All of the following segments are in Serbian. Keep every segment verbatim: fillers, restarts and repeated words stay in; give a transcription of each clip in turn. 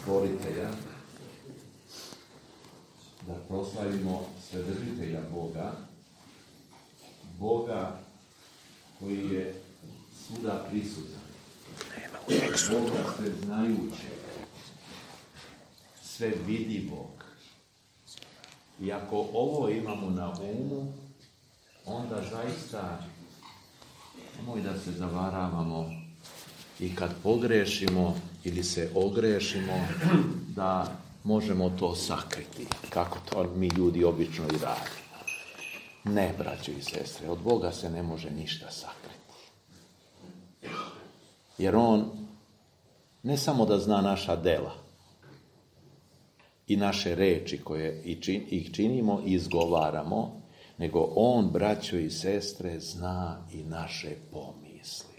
stvoritelja, da proslavimo Svedržitelja Boga, Boga koji je svuda prisutan, Boga sveznajućeg, sve vidivog. I ako ovo imamo na umu, onda zaista nemoj da se zavaravamo i kad pogrešimo ili se ogrešimo, da možemo to sakriti, kako to mi ljudi obično i radimo. Ne, braćo i sestre, od Boga se ne može ništa sakriti. Jer On ne samo da zna naša dela i naše reči koje ih činimo i izgovaramo, nego On, braćo i sestre, zna i naše pomisli.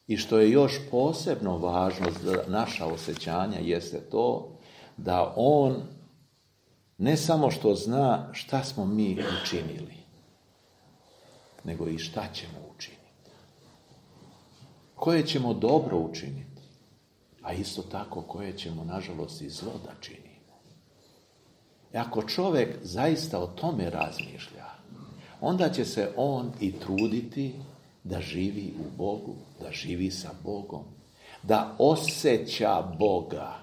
I što je još posebno važno za naša osjećanja jeste to da On ne samo što zna šta smo mi učinili, nego i šta ćemo učiniti. Koje ćemo dobro učiniti, a isto tako koje ćemo, nažalost, i zlo da činimo. I ako čovjek zaista o tome razmišlja, onda će se on i truditi da živi u Bogu, da živi sa Bogom, da osjeća Boga,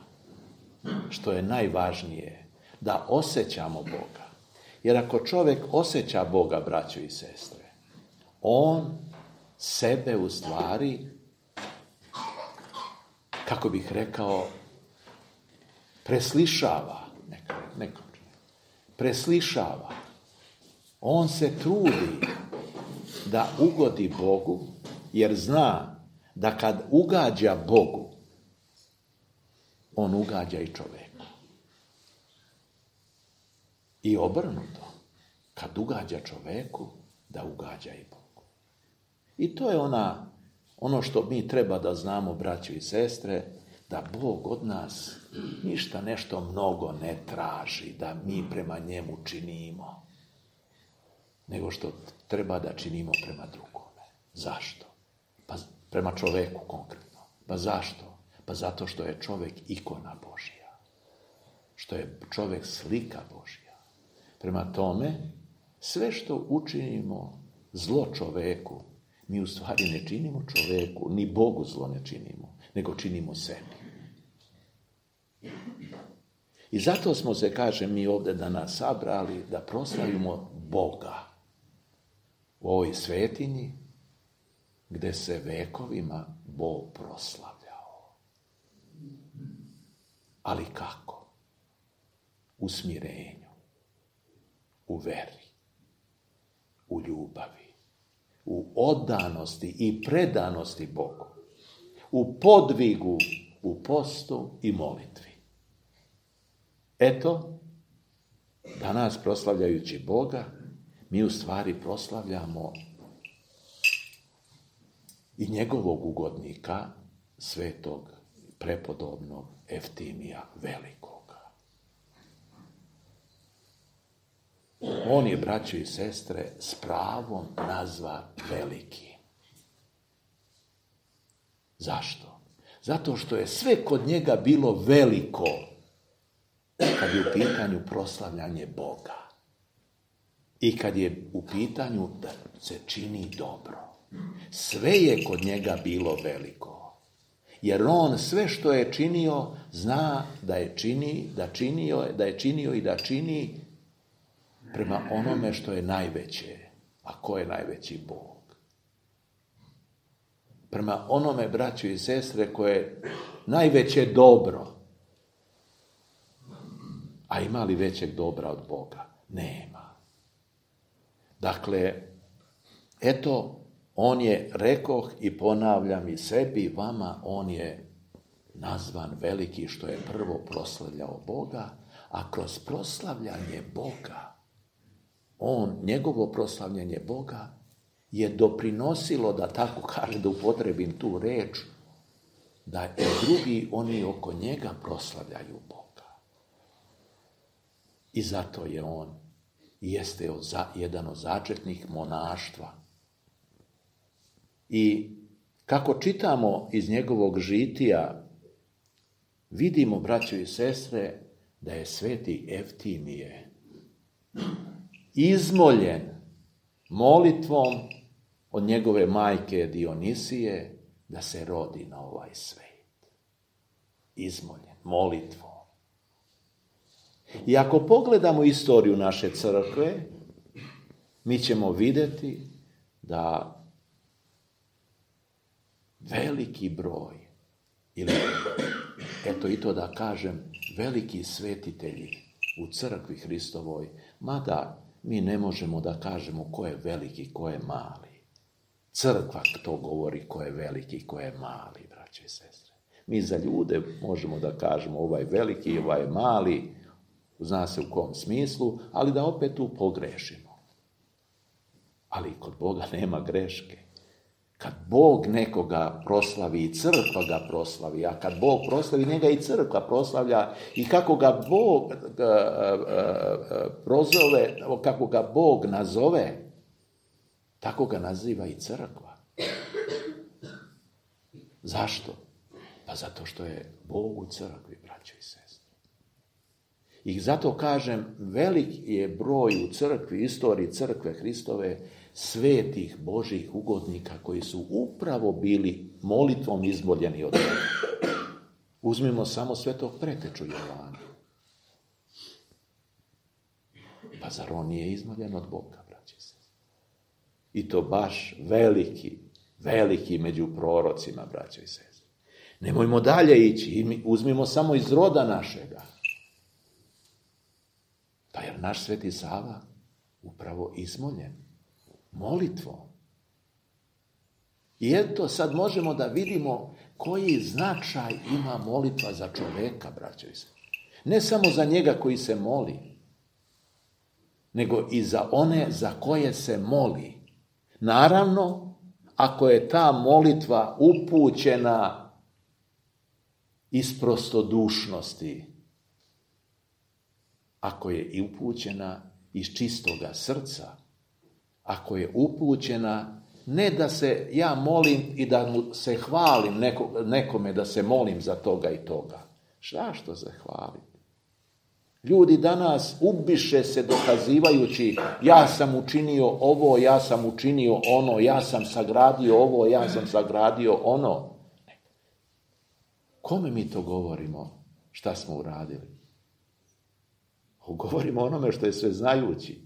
što je najvažnije, da osjećamo Boga. Jer ako čovjek osjeća Boga, braćo i sestre, on sebe u stvari, kako bih rekao, preslišava, neko, neko, preslišava. On se trudi da ugodi Bogu, jer zna da kad ugađa Bogu, on ugađa i čovjeku. I obrnuto, kad ugađa čovjeku, da ugađa i Bogu. I to je ona, ono što mi treba da znamo, braćo i sestre, da Bog od nas ništa nešto mnogo ne traži, da mi prema njemu činimo, nego što treba da činimo prema drugome. Zašto? Pa prema čovjeku konkretno. Pa zašto? Pa zato što je čovjek ikona Božja. Što je čovjek slika Božja. Prema tome, sve što učinimo zlo čovjeku, mi u stvari ne činimo čovjeku, ni Bogu zlo ne činimo, nego činimo sebi. I zato smo se, kaže, mi ovdje danas sabrali da proslavimo Boga u ovoj svetinji gdje se vekovima Bog proslavljao. Ali kako? U smirenju, u veri, u ljubavi, u oddanosti i predanosti Bogu, u podvigu, u postu i molitvi. Eto, danas proslavljajući Boga, mi u stvari proslavljamo i njegovog ugodnika, svetog, prepodobnog Evtimija Velikoga. On je, braćo i sestre, s pravom nazva veliki. Zašto? Zato što je sve kod njega bilo veliko kad je u pitanju proslavljanje Boga i kad je u pitanju da se čini dobro. Sve je kod njega bilo veliko. Jer on sve što je činio, zna da je čini, da činio, da je činio i da čini prema onome što je najveće. A ko je najveći Bog? Prema onome, braćo i sestre, koje je najveće dobro. A ima li većeg dobra od Boga? Nema. Dakle, eto, on je, rekoh i ponavljam i sebi i vama, on je nazvan veliki što je prvo proslavljao Boga, a kroz proslavljanje Boga, on, njegovo proslavljanje Boga je doprinosilo, da tako kaže, da upotrebim tu reč, da i drugi, oni oko njega proslavljaju Boga. I zato je on, jeste od, jedan od začetnih monaštva. I kako čitamo iz njegovog žitija, vidimo, braćo i sestre, da je sveti Evtimije izmoljen molitvom od njegove majke Dionisije da se rodi na ovaj svet. Izmoljen molitvom. I ako pogledamo istoriju naše crkve, mi ćemo vidjeti da veliki broj, ili eto i to da kažem, veliki svetitelji u crkvi Hristovoj, mada mi ne možemo da kažemo ko je veliki, ko je mali. Crkva to govori ko je veliki, ko je mali, braće i sestre. Mi za ljude možemo da kažemo ovaj veliki, ovaj mali, zna se u kom smislu, ali da opet tu pogrešimo. Ali kod Boga nema greške. Kad Bog nekoga proslavi, i crkva ga proslavi, a kad Bog proslavi, njega i crkva proslavlja, i kako ga Bog uh, uh, uh, prozove, kako ga Bog nazove, tako ga naziva i crkva. Zašto? Pa zato što je Bog u crkvi, braćo i sestre. I zato kažem, velik je broj u crkvi, istoriji crkve Hristove, svetih Božih ugodnika koji su upravo bili molitvom izmoljeni od Boga. Uzmimo samo svetog preteču Jovana. Pa zar on nije izmoljen od Boga, braće se? I to baš veliki, veliki među prorocima, braće i sestre. Nemojmo dalje ići, uzmimo samo iz roda našega. Pa jer naš sveti Sava upravo izmoljen molitvom. I eto sad možemo da vidimo koji značaj ima molitva za čoveka, braćo i sestre. Ne samo za njega koji se moli, nego i za one za koje se moli. Naravno, ako je ta molitva upućena iz prostodušnosti, ako je i upućena iz čistoga srca, ako je upućena, ne da se ja molim i da mu se hvalim neko, nekome da se molim za toga i toga. Šta što se hvalim? Ljudi danas ubiše se dokazivajući ja sam učinio ovo, ja sam učinio ono, ja sam sagradio ovo, ja sam sagradio ono. Kome mi to govorimo? Šta smo uradili? Govorimo onome što je sve znajući.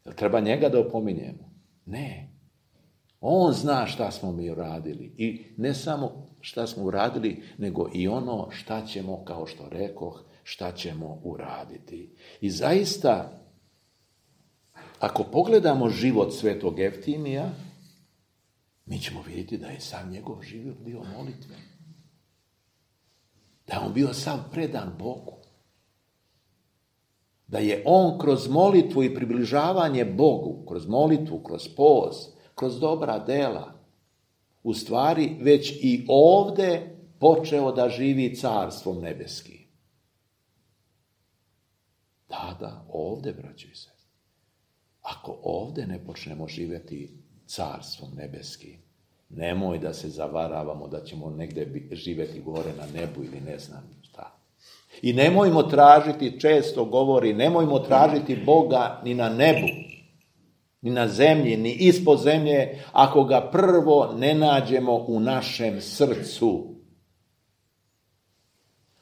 Jel treba njega da opominjemo? Ne. On zna šta smo mi uradili. I ne samo šta smo uradili, nego i ono šta ćemo, kao što rekoh, šta ćemo uraditi. I zaista, ako pogledamo život svetog Evtimija, mi ćemo vidjeti da je sam njegov život bio molitven. Da je on bio sav predan Bogu. Da je on kroz molitvu i približavanje Bogu, kroz molitvu, kroz post, kroz dobra dela, u stvari već i ovde počeo da živi carstvom nebeskim. Da, da, ovde, braćo i sestre. Ako ovde ne počnemo živjeti carstvom nebeskim, nemoj da se zavaravamo da ćemo negde živjeti gore na nebu ili ne znam šta. I nemojmo tražiti, često govori, nemojmo tražiti Boga ni na nebu, ni na zemlji, ni ispod zemlje, ako ga prvo ne nađemo u našem srcu.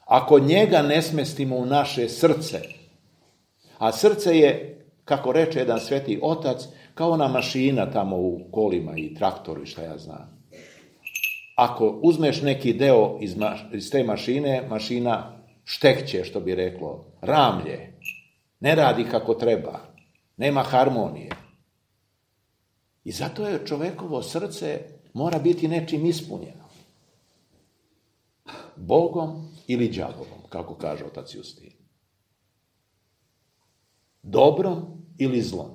Ako njega ne smestimo u naše srce, a srce je, kako reče jedan sveti otac, kao ona mašina tamo u kolima i traktoru i šta ja znam. Ako uzmeš neki deo iz, ma- iz te mašine, mašina štekće, što bi reklo, ramlje, ne radi kako treba, nema harmonije. I zato je čovekovo srce mora biti nečim ispunjeno. Bogom ili đavolom, kako kaže otac Justin. Dobrom ili zlom.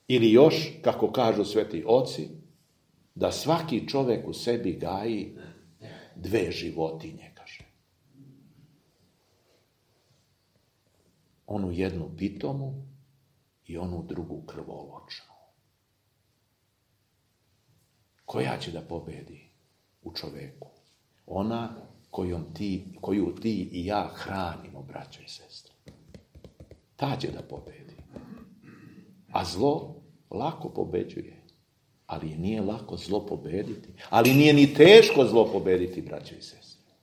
Ili još, kako kažu sveti oci, da svaki čovek u sebi gaji dve životinje, kaže. Onu jednu pitomu i onu drugu krvoločnu. Koja će da pobedi u čoveku? Ona kojom ti, koju ti i ja hranimo, braćo i sestre. Ta će da pobedi. A zlo lako pobeđuje. Ali nije lako zlo pobediti. Ali nije ni teško zlo pobediti, braćo i sestre.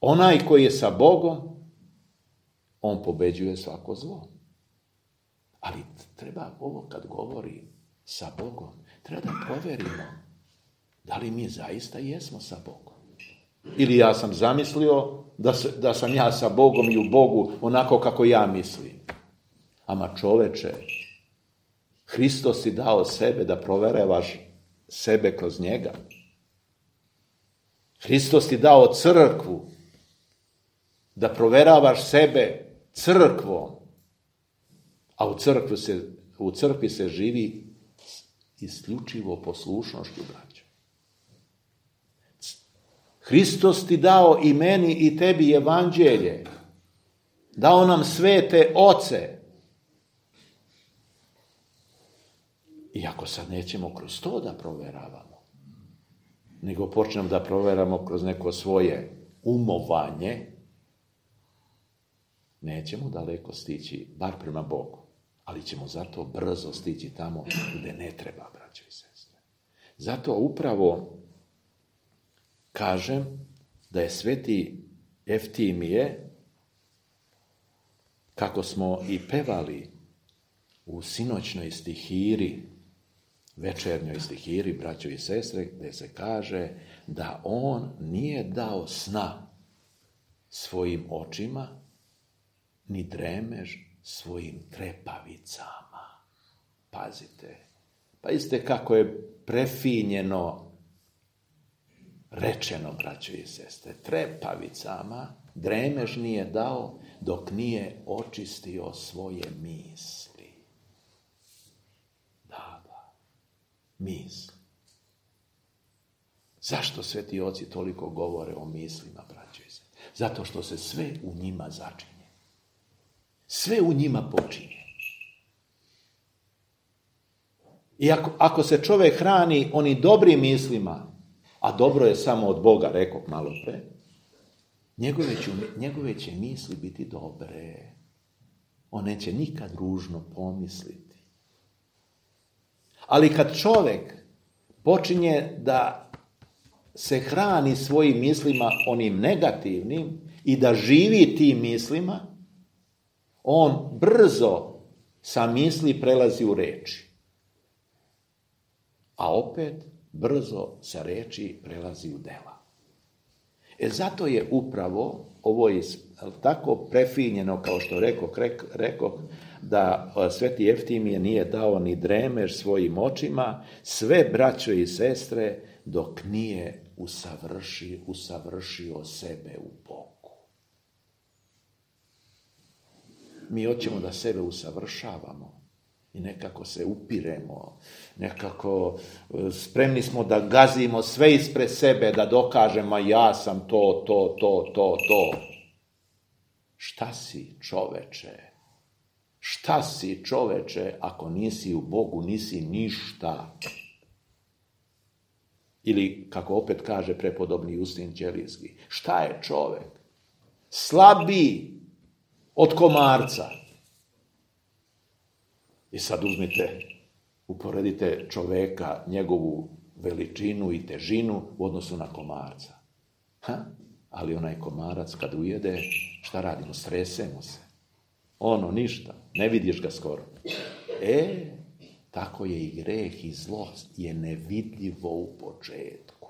Onaj koji je sa Bogom, on pobeđuje svako zlo. Ali treba ovo kad govori sa Bogom, treba da provjerimo da li mi zaista jesmo sa Bogom. Ili ja sam zamislio da, se, da sam ja sa Bogom i u Bogu onako kako ja mislim. Ama čoveče, Hristos ti dao sebe da proverevaš sebe kroz njega. Hristos ti dao crkvu da proveravaš sebe crkvom. A u crkvi se, u crkvi se živi isključivo poslušnošću, braćo. Hristos ti dao i meni i tebi evanđelje. Dao nam svete oce. I ako sad nećemo kroz to da proveravamo, nego počnemo da proveramo kroz neko svoje umovanje, nećemo daleko stići, bar prema Bogu. Ali ćemo zato brzo stići tamo gdje ne treba, braćo i sestre. Zato upravo kažem da je sveti Evtimije, kako smo i pevali u sinoćnoj stihiri, večernjoj stihiri, braćo i sestre, gdje se kaže da on nije dao sna svojim očima, ni dremež svojim trepavicama. Pazite, pazite kako je prefinjeno rečeno, braćo i sestre. Trepavicama dremež nije dao dok nije očistio svoje misli. Da, da, misli. Zašto sveti oci toliko govore o mislima, braćo i sestre? Zato što se sve u njima začinje. Sve u njima počinje. I ako, ako se čovjek hrani oni dobrim mislima, a dobro je samo od Boga, rekao malo pre, njegove će, njegove će misli biti dobre. On neće nikad ružno pomisliti. Ali kad čovjek počinje da se hrani svojim mislima onim negativnim i da živi tim mislima, on brzo sa misli prelazi u reči. A opet brzo sa reči prelazi u dela. E zato je upravo ovo je tako prefinjeno, kao što rekao, rekao da sveti Evtimije nije dao ni dremež svojim očima, sve braćo i sestre, dok nije usavršio, usavršio sebe u Bogu. Mi hoćemo da sebe usavršavamo i nekako se upiremo, nekako spremni smo da gazimo sve ispred sebe, da dokažemo ja sam to, to, to, to, to. Šta si, čoveče? Šta si, čoveče, ako nisi u Bogu, nisi ništa? Ili, kako opet kaže prepodobni Justin Ćelijski, šta je čovek? Slabiji od komarca. I sad uzmite, uporedite čoveka, njegovu veličinu i težinu u odnosu na komarca. Ha? Ali onaj komarac kad ujede, šta radimo? Stresemo se. Ono, ništa. Ne vidiš ga skoro. E, tako je i greh i zlo je nevidljivo u početku.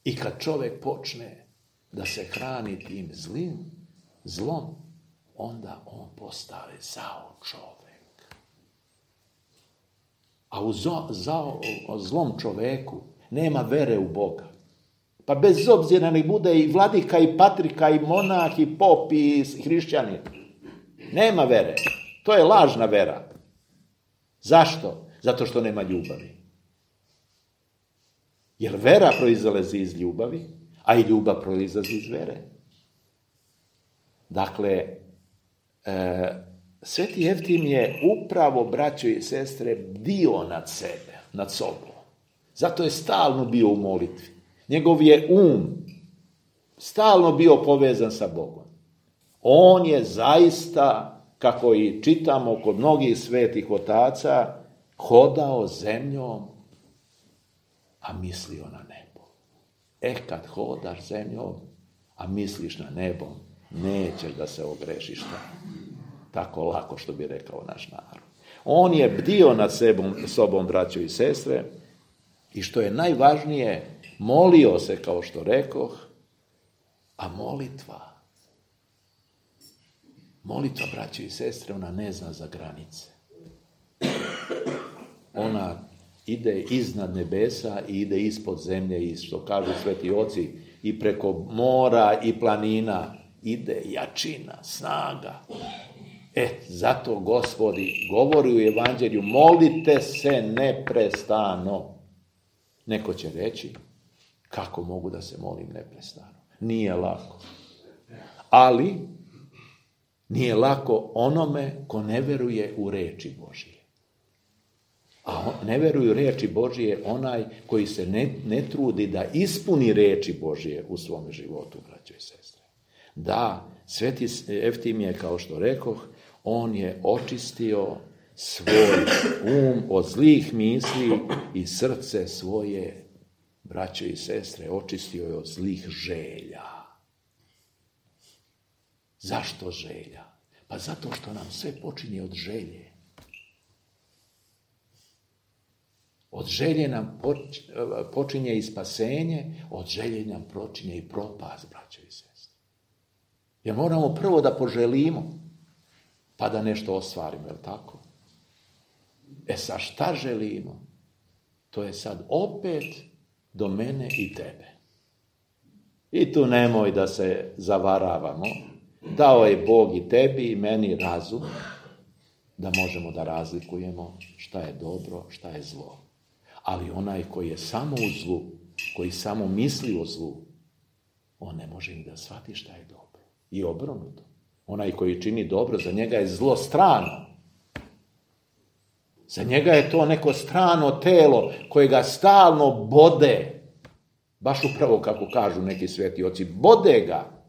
I kad čovjek počne da se hrani tim zlim, zlom, onda on postane zao čovjek. A u zo, zao, zlom čovjeku nema vere u Boga. Pa bez obzira nek bude i vladika, i patrika, i monah, i pop, i hrišćanin. Nema vere. To je lažna vera. Zašto? Zato što nema ljubavi. Jer vera proizlazi iz ljubavi, a i ljubav proizlazi iz vere. Dakle, e, sveti Evtim je upravo, braćo i sestre, bdio nad sebe, nad sobom. Zato je stalno bio u molitvi. Njegov je um stalno bio povezan sa Bogom. On je zaista, kako i čitamo kod mnogih svetih otaca, hodao zemljom, a mislio na nebo. E, kad hodaš zemljom, a misliš na nebo, nećeš da se ogrešiš tako lako, što bi rekao naš narod. On je bdio nad sebom, sobom, braćo i sestre, i što je najvažnije, molio se, kao što rekoh, a molitva, molitva, braćo i sestre, ona ne zna za granice. Ona ide iznad nebesa i ide ispod zemlje, i što kažu sveti oci, i preko mora i planina ide jačina, snaga. E, zato Gospodi govori u Evanđelju, molite se neprestano. Neko će reći, kako mogu da se molim neprestano? Nije lako. Ali nije lako onome ko ne veruje u reči Božije. A ne veruje u reči Božije onaj koji se ne, ne trudi da ispuni reči Božije u svom životu, braćo i sestre. Da, sveti Evtimije, kao što rekoh, on je očistio svoj um od zlih misli i srce svoje, braćo i sestre, očistio je od zlih želja. Zašto želja? Pa zato što nam sve počinje od želje. Od želje nam počinje i spasenje, od želje nam počinje i propast, braćo i sestre. Jer moramo prvo da poželimo, pa da nešto ostvarimo, je li tako? E sa šta želimo? To je sad opet do mene i tebe. I tu nemoj da se zavaravamo. Dao je Bog i tebi i meni razum da možemo da razlikujemo šta je dobro, šta je zlo. Ali onaj koji je samo u zlu, koji samo misli o zlu, on ne može ni da shvati šta je dobro. I obrnuto. Onaj koji čini dobro, za njega je zlo strano. Za njega je to neko strano telo koje ga stalno bode. Baš upravo kako kažu neki sveti oci, bode ga.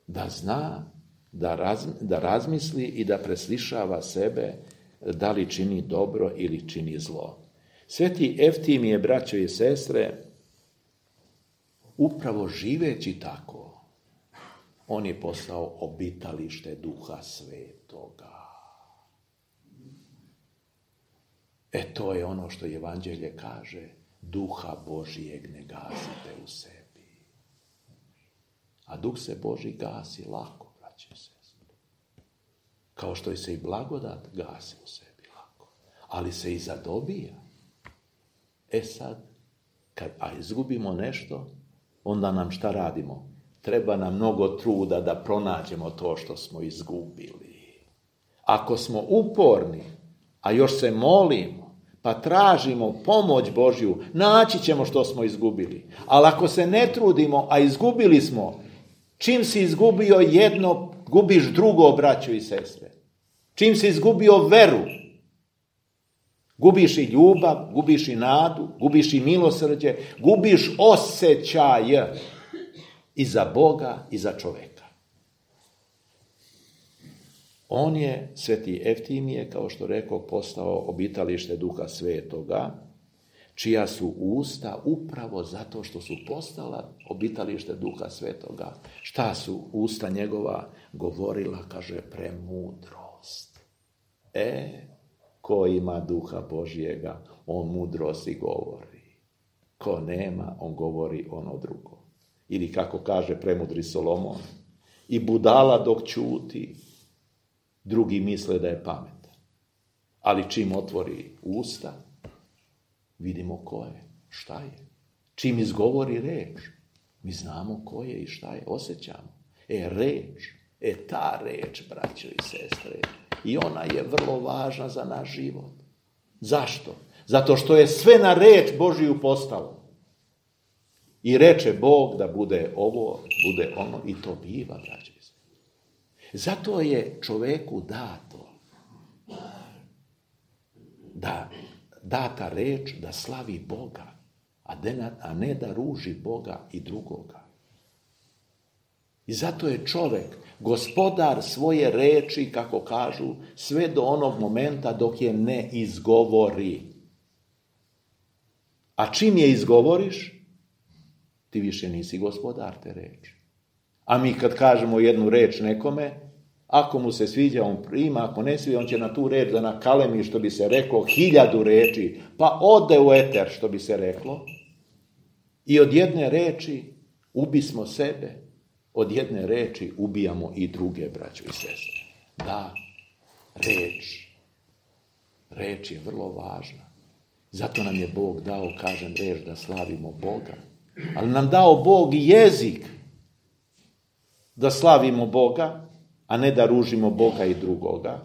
Da zna, da, raz, da razmisli i da preslišava sebe da li čini dobro ili čini zlo. Sveti Evtimije, braćo i sestre, upravo živeći tako, on je postao obitalište Duha Svetoga. E to je ono što Evanđelje kaže, Duha Božijeg ne gasite u sebi. A Duh se Božji gasi lako, braće i sestre. Kao što se i blagodat gasi u sebi lako. Ali se i zadobija. E sad, kad a izgubimo nešto, onda nam šta radimo? Treba nam mnogo truda da pronađemo to što smo izgubili. Ako smo uporni, a još se molimo, pa tražimo pomoć Božju, naći ćemo što smo izgubili. Ali ako se ne trudimo, a izgubili smo, čim si izgubio jedno, gubiš drugo, braćo i sestre. Čim si izgubio veru, gubiš i ljubav, gubiš i nadu, gubiš i milosrđe, gubiš osjećaj i za Boga i za čoveka. On je, sveti Evtimije, kao što rekao, postao obitalište Duha Svetoga, čija su usta upravo zato što su postala obitalište Duha Svetoga. Šta su usta njegova govorila, kaže, premudrost. E, ko ima Duha Božjega, on mudrosti govori. Ko nema, on govori ono drugo. Ili kako kaže premudri Solomon, i budala dok ćuti, drugi misle da je pametan. Ali čim otvori usta, vidimo ko je, šta je. Čim izgovori reč, mi znamo ko je i šta je, osjećamo. E, reč, e ta reč, braćo i sestre, i ona je vrlo važna za naš život. Zašto? Zato što je sve na reč Božiju postalo. I reče Bog da bude ovo, bude ono, i to biva, braćo i sestre. Zato je čoveku dato da data reč da slavi Boga, a ne da ruži Boga i drugoga. I zato je čovjek gospodar svoje reči, kako kažu, sve do onog momenta dok je ne izgovori. A čim je izgovoriš, ti više nisi gospodar te reči. A mi kad kažemo jednu reč nekome, ako mu se sviđa, on prima, ako ne sviđa, on će na tu reč da nakalemi, što bi se reklo, hiljadu reči, pa ode u eter, što bi se reklo, i od jedne reči ubismo sebe, od jedne reči ubijamo i druge, braćo i sestre. Da, reč. Reč je vrlo važna. Zato nam je Bog dao, kažem, reč da slavimo Boga. Ali nam dao Bog i jezik da slavimo Boga, a ne da ružimo Boga i drugoga.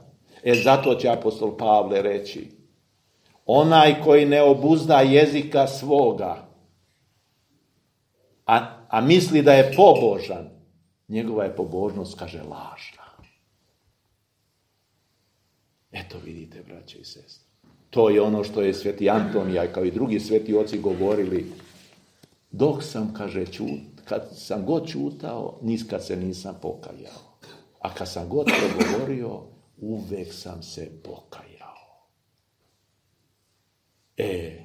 E zato će apostol Pavle reći, onaj koji ne obuzda jezika svoga, a, a misli da je pobožan, njegova je pobožnost, kaže, lažna. Eto vidite, braće i sestre. To je ono što je sveti Antonija, kao i drugi sveti oci govorili. Dok sam, kaže, čut, kad sam god čutao, niskad se nisam pokajao. A kad sam god progovorio, uvek sam se pokajao. E,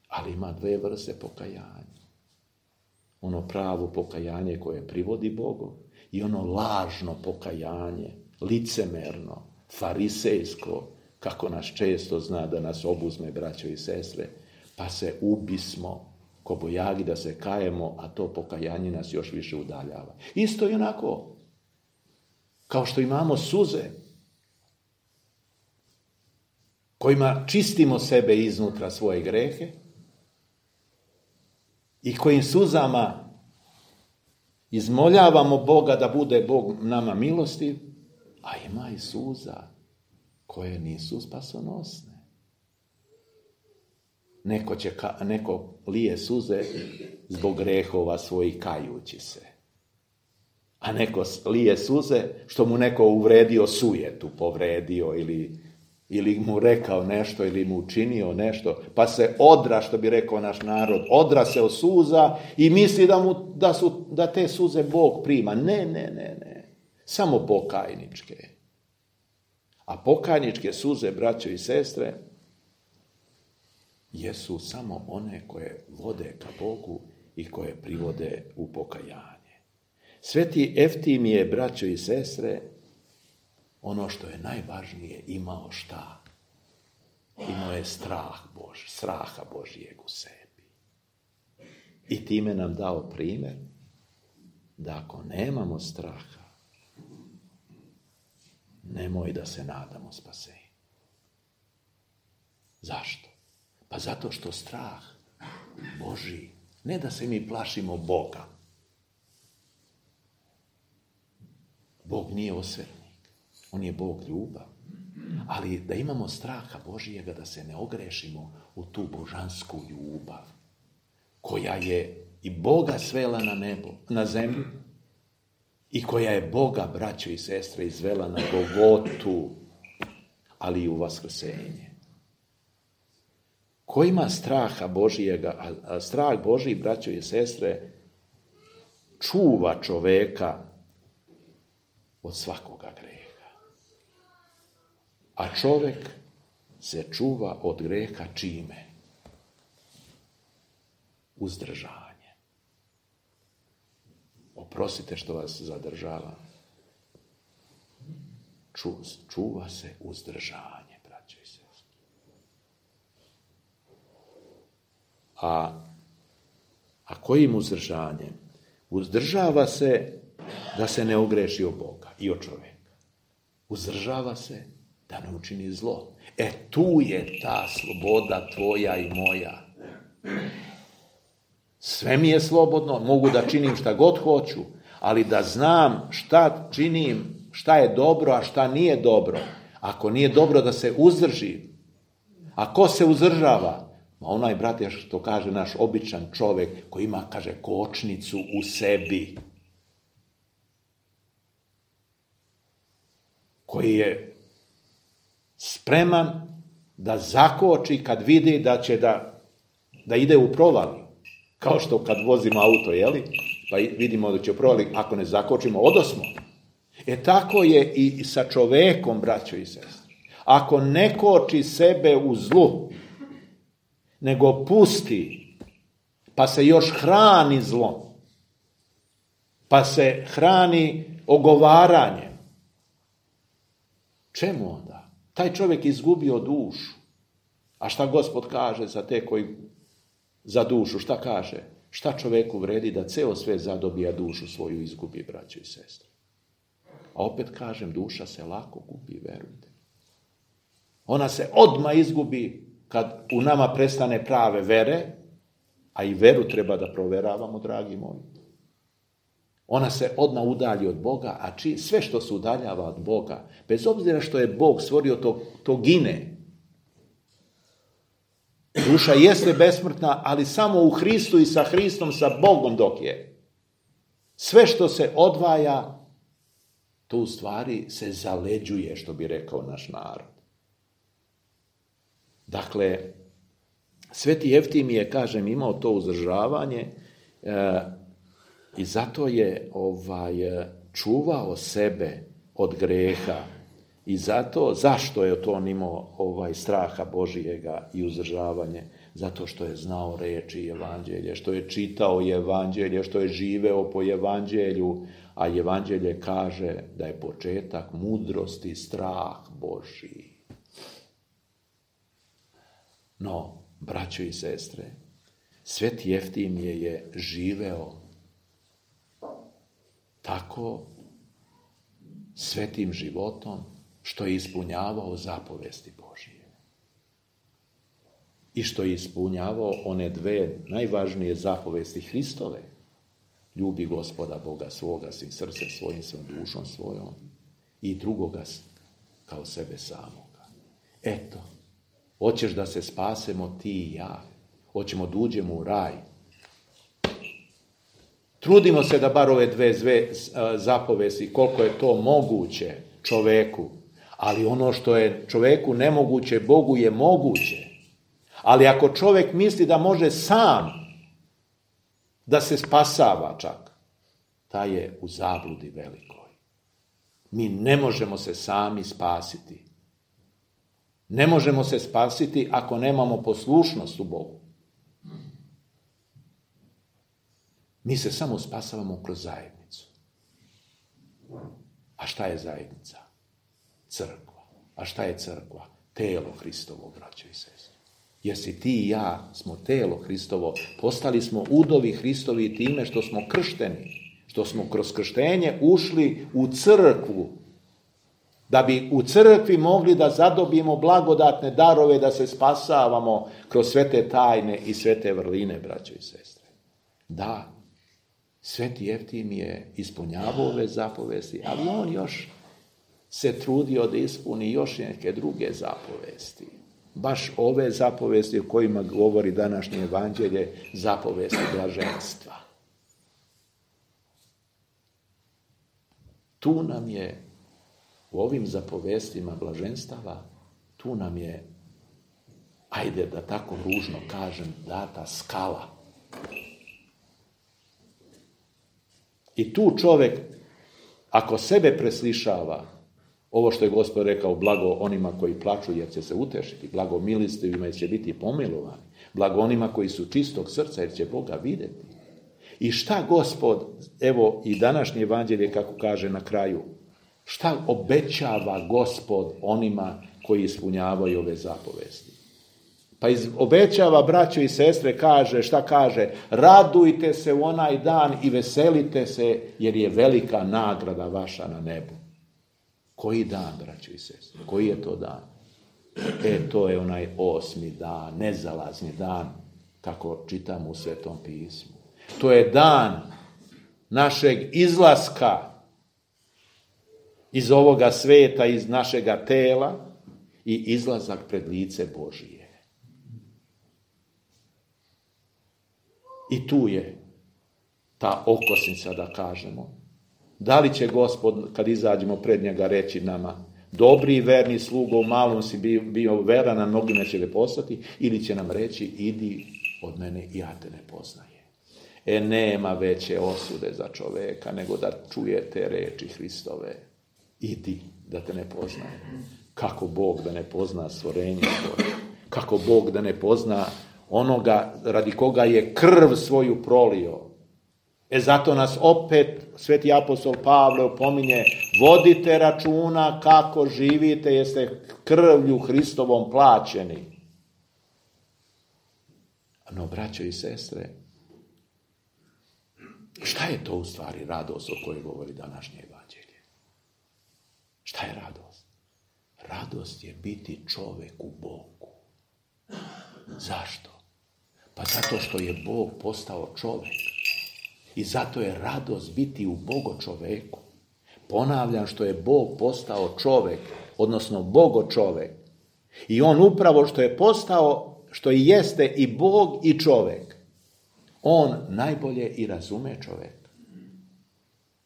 ali ima dve vrste pokajanja. Ono pravo pokajanje koje privodi Bogu i ono lažno pokajanje, licemerno, farisejsko, kako nas često zna da nas obuzme, braćo i sestre, pa se ubismo ko bojagi da se kajemo, a to pokajanje nas još više udaljava. Isto i onako, kao što imamo suze, kojima čistimo sebe iznutra svoje grehe i kojim suzama izmoljavamo Boga da bude Bog nama milostiv, a ima i suza koje nisu spasonosne. Neko, će, neko lije suze zbog grehova svojih kajući se. A neko lije suze što mu neko uvredio sujetu, povredio ili, ili mu rekao nešto ili mu učinio nešto, pa se odra, što bi rekao naš narod, odra se od suza i misli da, mu, da, su, da te suze Bog prima. Ne, ne, ne, ne. Samo pokajničke. A pokajničke suze, braćo i sestre, jesu samo one koje vode ka Bogu i koje privode u pokajanje. Sveti Eftim je, braćo i sestre, ono što je najvažnije, imao šta? Imao je strah Bož, straha Božijeg u sebi. I time nam dao primjer da ako nemamo straha, nemoj da se nadamo spasenju. Zašto? Pa zato što strah Božji, ne da se mi plašimo Boga. Bog nije osvetnik, on je Bog ljubav. Ali da imamo straha Božijega, da se ne ogrešimo u tu božansku ljubav, koja je i Boga svela na nebo, na zemlju, i koja je Boga, braćo i sestre, izvela na Golgotu, ali i u vaskrsenje. Ko ima straha Božijega, a, a strah Božiji, braćo i sestre, čuva čoveka od svakoga greha. A čovek se čuva od greha čime? Uzdržanje. Oprostite što vas zadržavam. Ču, čuva se uzdržanje, braćo i sestre. A, a kojim uzdržanjem? Uzdržava se da se ne ogreši o Boga i o čovjeka. Uzdržava se da ne učini zlo. E tu je ta sloboda tvoja i moja. Sve mi je slobodno, mogu da činim šta god hoću, ali da znam šta činim, šta je dobro, a šta nije dobro. Ako nije dobro, da se uzdrži. A ko se uzdržava? Ma onaj, brate, što kaže naš običan čovjek, koji ima, kaže, kočnicu u sebi. Koji je spreman da zakoči kad vidi da će da, da ide u provaliju. Kao što kad vozimo auto, jeli? Pa vidimo da će u provaliju, ako ne zakočimo, odosmo. E tako je i sa čovekom, braćo i sestre. Ako ne koči sebe u zlu, nego pusti, pa se još hrani zlom, pa se hrani ogovaranjem, čemu onda? Taj čovjek izgubio dušu. A šta Gospod kaže za te koji za dušu? Šta kaže? Šta čovjeku vredi da ceo sve zadobija, dušu svoju izgubi, braćo i sestre? A opet kažem, duša se lako gubi, verujte. Ona se odmah izgubi kad u nama prestane prave vere, a i veru treba da proveravamo, dragi moji. Ona se odmah udalji od Boga, a či, sve što se udaljava od Boga, bez obzira što je Bog stvorio, to, to gine. Duša jeste besmrtna, ali samo u Hristu i sa Hristom, sa Bogom dok je. Sve što se odvaja, to u stvari se zaleđuje, što bi rekao naš narod. Dakle, Sveti Jeftimije, kažem, imao to uzdržavanje e, i zato je ovaj, čuvao sebe od greha. I zato, zašto je to on imao ovaj, straha Božijega i uzdržavanje? Zato što je znao reči evanđelje, što je čitao evanđelje, što je živeo po evanđelju, a evanđelje kaže da je početak mudrosti strah Božji. No, braćo i sestre, Sveti Jeftimije je živeo tako svetim životom što je ispunjavao zapovesti Božije. I što je ispunjavao one dve najvažnije zapovesti Hristove. Ljubi Gospoda Boga svoga, svim srcem svojim, svojom dušom svojom i drugoga kao sebe samoga. Eto, hoćeš da se spasemo ti i ja. Hoćemo da uđemo u raj. Trudimo se da bar ove dve zve zapovesti, koliko je to moguće čoveku. Ali ono što je čoveku nemoguće, Bogu je moguće. Ali ako čovjek misli da može sam da se spasava čak, taj je u zabludi velikoj. Mi ne možemo se sami spasiti. Ne možemo se spasiti ako nemamo poslušnost u Bogu. Mi se samo spasavamo kroz zajednicu. A šta je zajednica? Crkva. A šta je crkva? Telo Hristovo, braćo i sestre. Jer si ti i ja smo telo Hristovo, postali smo udovi Hristovi time što smo kršteni, što smo kroz krštenje ušli u crkvu, da bi u crkvi mogli da zadobijemo blagodatne darove, da se spasavamo kroz sve te tajne i sve te vrline, braćo i sestre. Da, Sveti Jeftimije ispunjavao ove zapovesti, ali on još se trudio da ispuni još neke druge zapovesti. Baš ove zapovesti o kojima govori današnje evanđelje, zapovesti blaženstva. Tu nam je, u ovim zapovestima blaženstava, tu nam je, ajde da tako ružno kažem, data skala. I tu čovjek, ako sebe preslišava, ovo što je Gospod rekao, blago onima koji plaču jer će se utešiti, blago milostivima jer će biti pomilovani, blago onima koji su čistog srca jer će Boga vidjeti. I šta Gospod, evo i današnje evanđelje kako kaže na kraju, šta obećava Gospod onima koji ispunjavaju ove zapovesti? Pa iz, obećava, braćo i sestre, kaže, šta kaže? Radujte se u onaj dan i veselite se jer je velika nagrada vaša na nebu. Koji dan, braćo i sestre? Koji je to dan? E, to je onaj osmi dan, nezalazni dan, kako čitamo u Svetom pismu. To je dan našeg izlaska iz ovoga sveta, iz našega tela i izlazak pred lice Božije. I tu je ta okosnica, da kažemo. Da li će Gospod, kad izađemo pred njega, reći nama, dobri i verni slugo, u malom si bio, bio veran, na mnogima će te postati, ili će nam reći, idi od mene, ja te ne poznajem. E, nema veće osude za čoveka nego da čujete reči Hristove. Idi, da te ne poznaje. Kako Bog da ne pozna stvorenje svoje? Kako Bog da ne pozna onoga radi koga je krv svoju prolio? E, zato nas opet sveti apostol Pavle opominje, vodite računa kako živite, jeste krvlju Hristovom plaćeni. No, braćo i sestre, šta je to u stvari radost o kojoj govori današnje evanđelje? Šta je radost? Radost je biti čovek u Bogu. Zašto? Pa zato što je Bog postao čovek. I zato je radost biti u Bogo čoveku. Ponavljam, što je Bog postao čovek, odnosno Bogo čovek. I on upravo što je postao, što i jeste i Bog i čovek, on najbolje i razume čoveka.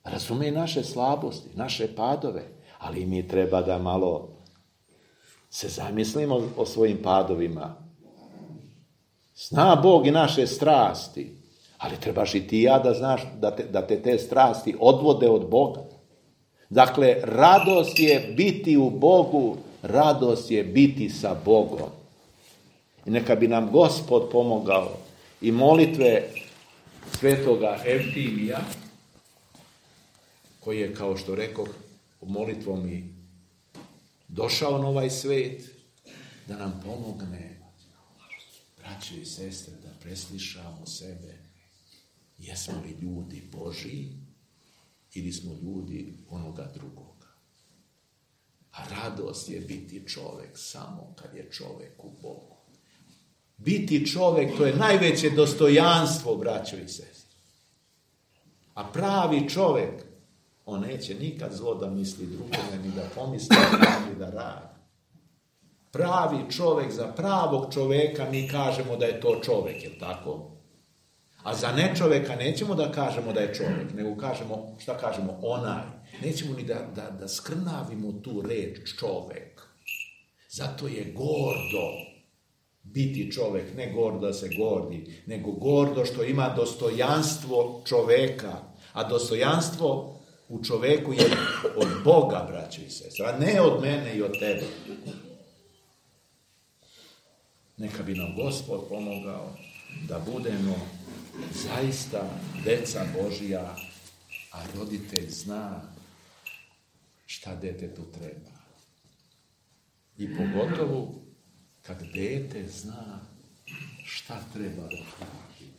Razume naše slabosti, naše padove, ali mi treba da malo se zamislimo o svojim padovima. Zna Bog i naše strasti, ali trebaš i ti ja da znaš da te, da te te strasti odvode od Boga. Dakle, radost je biti u Bogu, radost je biti sa Bogom. I neka bi nam Gospod pomogao i molitve svetoga Evtimija, koji je, kao što rekoh, molitvom i došao na ovaj svet, da nam pomogne, braćo i sestre, da preslišamo sebe. Jesmo li ljudi Božji ili smo ljudi onoga drugoga? A radost je biti čovek samo kad je čovek u Bogu. Biti čovek, to je najveće dostojanstvo, braćo i sestre. A pravi čovek, on neće nikad zlo da misli drugome, ni da pomisli, ni da radi. Pravi čovek, za pravog čoveka mi kažemo da je to čovek, je li tako? A za nečoveka nećemo da kažemo da je čovek, nego kažemo, šta kažemo, onaj. Nećemo ni da, da, da skrnavimo tu reč čovek. Zato je gordo biti čovek, ne gordo da se gordi, nego gordo što ima dostojanstvo čoveka. A dostojanstvo u čoveku je od Boga, braćo i sestre, a ne od mene i od tebe. Neka bi nam Gospod pomogao da budemo zaista deca Božija, a roditelj zna šta detetu treba. I pogotovo kad dete zna šta treba da traži.